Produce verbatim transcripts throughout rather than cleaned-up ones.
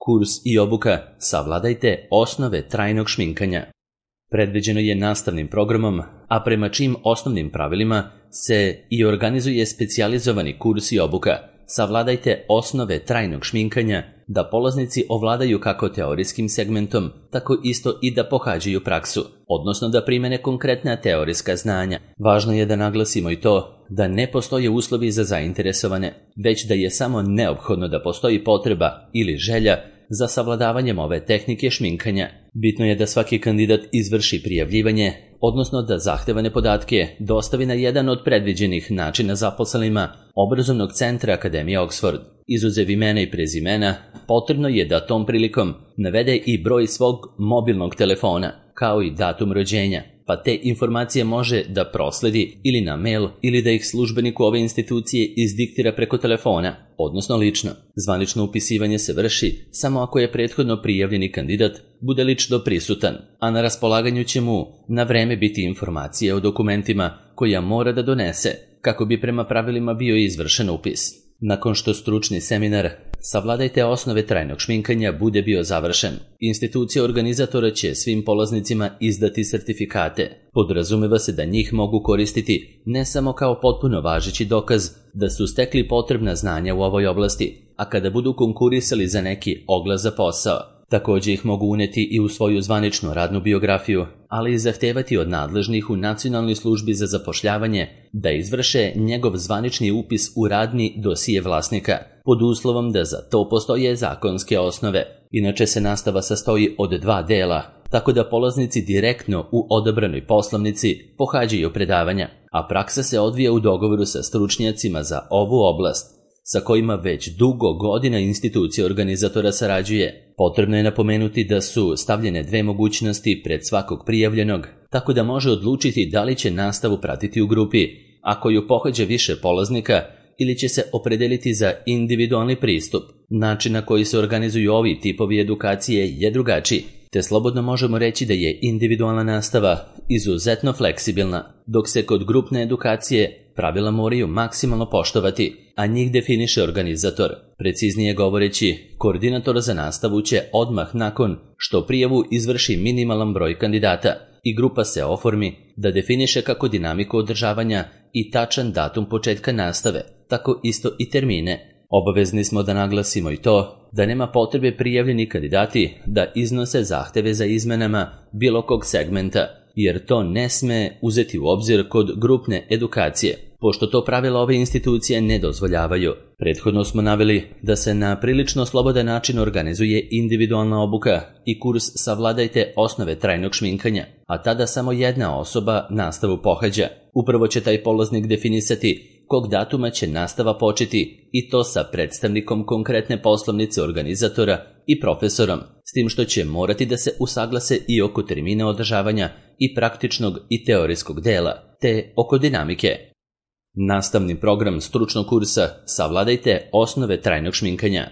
Kurs i obuka Savladajte osnove trajnog šminkanja. Predviđeno je nastavnim programom, a prema čijim osnovnim pravilima se i organizuje specijalizovani kurs i obuka Savladajte osnove trajnog šminkanja, da polaznici ovladaju kako teorijskim segmentom, tako isto i da pohađaju praksu, odnosno da primene konkretna teorijska znanja. Važno je da naglasimo i to da ne postoje uslovi za zainteresovane, već da je samo neophodno da postoji potreba ili želja za savladavanjem ove tehnike šminkanja. Bitno je da svaki kandidat izvrši prijavljivanje, odnosno da zahtevane podatke dostavi na jedan od predviđenih načina zaposlenima obrazovnog centra Akademije Oxford. Izuzev imena i prezimena, potrebno je da tom prilikom navede i broj svog mobilnog telefona, kao i datum rođenja, pa te informacije može da prosledi ili na mail ili da ih službeniku ove institucije izdiktira preko telefona, odnosno lično. Zvanično upisivanje se vrši samo ako je prethodno prijavljeni kandidat bude lično prisutan, a na raspolaganju će mu na vreme biti informacije o dokumentima koja mora da donese kako bi prema pravilima bio izvršen upis. Nakon što stručni seminar Savladajte osnove trajnog šminkanja bude bio završen, institucija organizatora će svim polaznicima izdati sertifikate. Podrazumeva se da njih mogu koristiti ne samo kao potpuno važeći dokaz da su stekli potrebna znanja u ovoj oblasti, a kada budu konkurisali za neki oglas za posao. Također ih mogu uneti i u svoju zvaničnu radnu biografiju, ali i zahtevati od nadležnih u Nacionalnoj službi za zapošljavanje da izvrše njegov zvanični upis u radni dosije vlasnika, pod uslovom da za to postoje zakonske osnove. Inače se nastava sastoji od dva dela, tako da polaznici direktno u odabranoj poslovnici pohađaju predavanja, a praksa se odvija u dogovoru sa stručnjacima za ovu oblast, sa kojima već dugo godina institucija organizatora sarađuje. Potrebno je napomenuti da su stavljene dve mogućnosti pred svakog prijavljenog, tako da može odlučiti da li će nastavu pratiti u grupi, ako ju pohađa više polaznika, ili će se opredeliti za individualni pristup. Način na koji se organizuju ovi tipovi edukacije je drugačiji, te slobodno možemo reći da je individualna nastava izuzetno fleksibilna, dok se kod grupne edukacije pravila moraju maksimalno poštovati, a njih definiše organizator. Preciznije govoreći, koordinator za nastavu će odmah nakon što prijavu izvrši minimalan broj kandidata i grupa se oformi da definiše kako dinamiku održavanja i tačan datum početka nastave, tako isto i termine. Obavezni smo da naglasimo i to da nema potrebe prijavljeni kandidati da iznose zahteve za izmenama bilo kog segmenta, jer to ne sme uzeti u obzir kod grupne edukacije, pošto to pravila ove institucije ne dozvoljavaju. Prethodno smo naveli da se na prilično slobodan način organizuje individualna obuka i kurs Savladajte osnove trajnog šminkanja, a tada samo jedna osoba nastavu pohađa. Upravo će taj polaznik definisati kog datuma će nastava početi, i to sa predstavnikom konkretne poslovnice organizatora i profesorom, s tim što će morati da se usaglase i oko termina održavanja i praktičnog i teorijskog dela, te oko dinamike. Nastavni program stručnog kursa Savladajte osnove trajnog šminkanja.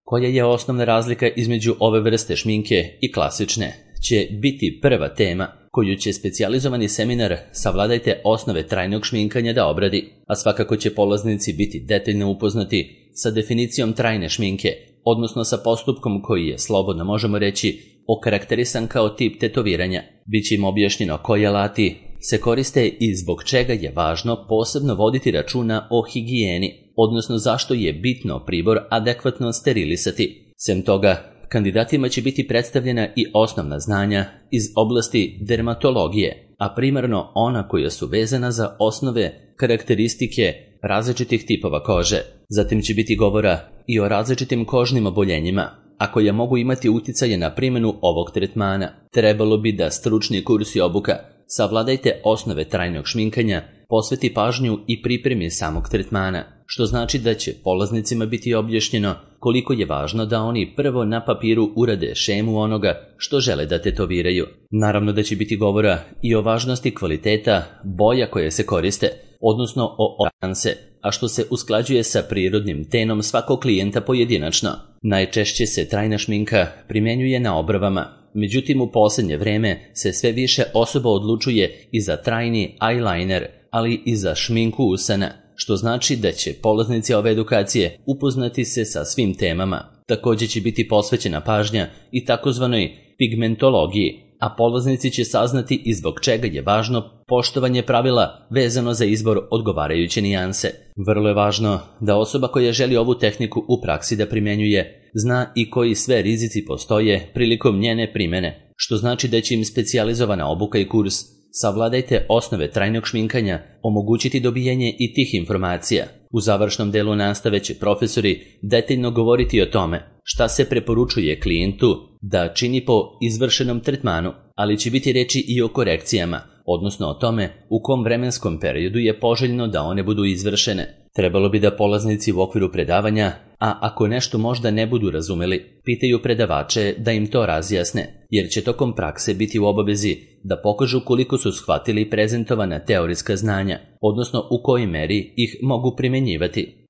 Koja je osnovna razlika između ove vrste šminke i klasične, će biti prva tema koju će specijalizovani seminar Savladajte osnove trajnog šminkanja da obradi, a svakako će polaznici biti detaljno upoznati sa definicijom trajne šminke, odnosno sa postupkom koji je, slobodno možemo reći, okarakterisan kao tip tetoviranja. Biće im objašnjeno koji alati se koriste i zbog čega je važno posebno voditi računa o higijeni, odnosno zašto je bitno pribor adekvatno sterilisati. Sem toga, kandidatima će biti predstavljena i osnovna znanja iz oblasti dermatologije, a primarno ona koja su vezana za osnove karakteristike različitih tipova kože. Zatim će biti govora i o različitim kožnim oboljenjima, a koja mogu imati uticaje na primjenu ovog tretmana. Trebalo bi da stručni kurs i obuka Savladajte osnove trajnog šminkanja posveti pažnju i pripremi samog tretmana, što znači da će polaznicima biti objašnjeno koliko je važno da oni prvo na papiru urade šemu onoga što žele da tetoviraju. Naravno da će biti govora i o važnosti kvaliteta boja koje se koriste, odnosno o oranse, a što se usklađuje sa prirodnim tenom svakog klijenta pojedinačno. Najčešće se trajna šminka primjenjuje na obravama, međutim u posljednje vreme se sve više osoba odlučuje i za trajni eyeliner, ali i za šminku usana, što znači da će polaznici ove edukacije upoznati se sa svim temama. Također će biti posvećena pažnja i takozvanoj pigmentologiji, a polaznici će saznati i zbog čega je važno poštovanje pravila vezano za izbor odgovarajuće nijanse. Vrlo je važno da osoba koja želi ovu tehniku u praksi da primjenjuje zna i koji sve rizici postoje prilikom njene primjene, što znači da će im specijalizovana obuka i kurs Savladajte osnove trajnog šminkanja omogućiti dobijenje i tih informacija. U završnom delu nastave će profesori detaljno govoriti o tome šta se preporučuje klijentu da čini po izvršenom tretmanu, ali će biti reči i o korekcijama, odnosno o tome u kom vremenskom periodu je poželjno da one budu izvršene. Trebalo bi da polaznici u okviru predavanja, a ako nešto možda ne budu razumeli, pitaju predavače da im to razjasne, jer će tokom prakse biti u obavezi da pokažu koliko su shvatili prezentovana teorijska znanja, odnosno u kojoj meri ih mogu primjenjivati.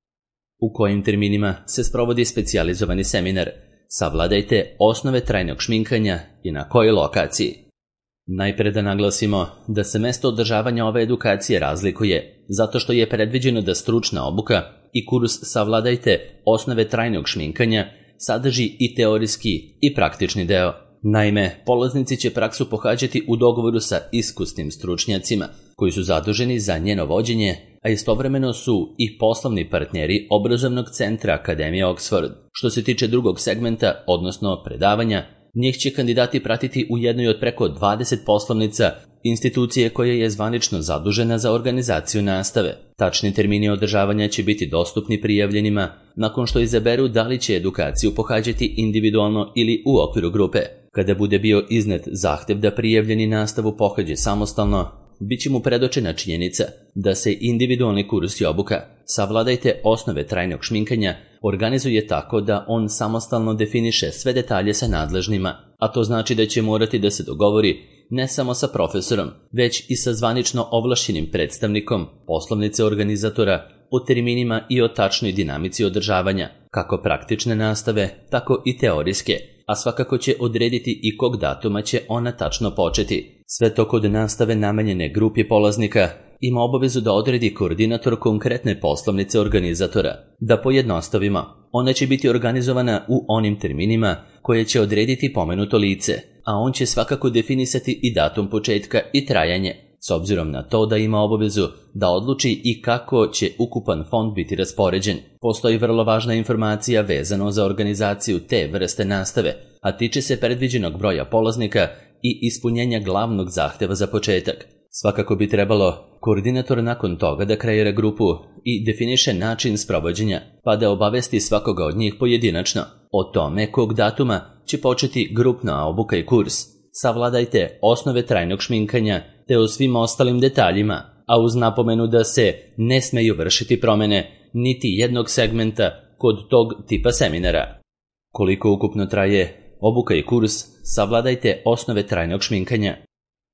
U kojim terminima se sprovodi specijalizovani seminar Savladajte osnove trajnog šminkanja i na kojoj lokaciji. Najpre da naglasimo da se mesto održavanja ove edukacije razlikuje, zato što je predviđeno da stručna obuka i kurs Savladajte osnove trajnog šminkanja sadrži i teorijski i praktični deo. Naime, polaznici će praksu pohađati u dogovoru sa iskusnim stručnjacima koji su zaduženi za njeno vođenje, a istovremeno su i poslovni partneri obrazovnog centra Akademije Oxford. Što se tiče drugog segmenta, odnosno predavanja, njih će kandidati pratiti u jednoj od preko dvadeset poslovnica institucije koja je zvanično zadužena za organizaciju nastave. Tačni termini održavanja će biti dostupni prijavljenima nakon što izaberu da li će edukaciju pohađati individualno ili u okviru grupe. Kada bude bio iznet zahtev da prijavljeni nastavu pohađe samostalno, bit će mu predočena činjenica da se individualni kurs i obuka Savladajte osnove trajnog šminkanja organizuje tako da on samostalno definiše sve detalje sa nadležnima, a to znači da će morati da se dogovori ne samo sa profesorom, već i sa zvanično ovlašćenim predstavnikom poslovnice organizatora o terminima i o tačnoj dinamici održavanja, kako praktične nastave, tako i teorijske, a svakako će odrediti i kog datuma će ona tačno početi. Sve to kod nastave namenjene grupi polaznika ima obavezu da odredi koordinator konkretne poslovnice organizatora. Da pojednostavimo, ona će biti organizovana u onim terminima koje će odrediti pomenuto lice, a on će svakako definisati i datum početka i trajanje, s obzirom na to da ima obavezu da odluči i kako će ukupan fond biti raspoređen. Postoji vrlo važna informacija vezano za organizaciju te vrste nastave, a tiče se predviđenog broja polaznika i ispunjenja glavnog zahteva za početak. Svakako bi trebalo koordinator nakon toga da kreira grupu i definiše način sprovođenja, pa da obavesti svakoga od njih pojedinačno o tome kog datuma će početi grupna obuka i kurs. Savladajte osnove trajnog šminkanja te o svim ostalim detaljima, a uz napomenu da se ne smeju vršiti promjene niti jednog segmenta kod tog tipa seminara. Koliko ukupno traje obuka i kurs Savladajte osnove trajnog šminkanja?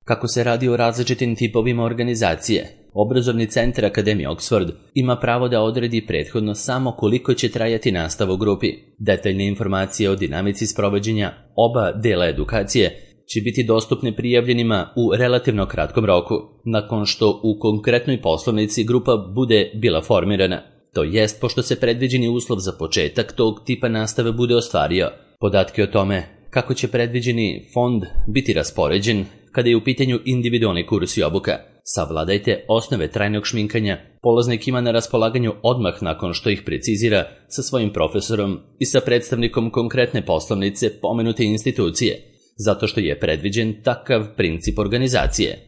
Kako se radi o različitim tipovima organizacije, obrazovni centar Akademije Oxford ima pravo da odredi prethodno samo koliko će trajati nastava u grupi. Detaljne informacije o dinamici sprovođenja oba dela edukacije će biti dostupne prijavljenima u relativno kratkom roku, nakon što u konkretnoj poslovnici grupa bude bila formirana, to jest pošto se predviđeni uslov za početak tog tipa nastave bude ostvario. Podatke o tome kako će predviđeni fond biti raspoređen kada je u pitanju individualni kurs i obuka Savladajte osnove trajnog šminkanja, polaznik ima na raspolaganju odmah nakon što ih precizira sa svojim profesorom i sa predstavnikom konkretne poslovnice pomenute institucije, zato što je predviđen takav princip organizacije.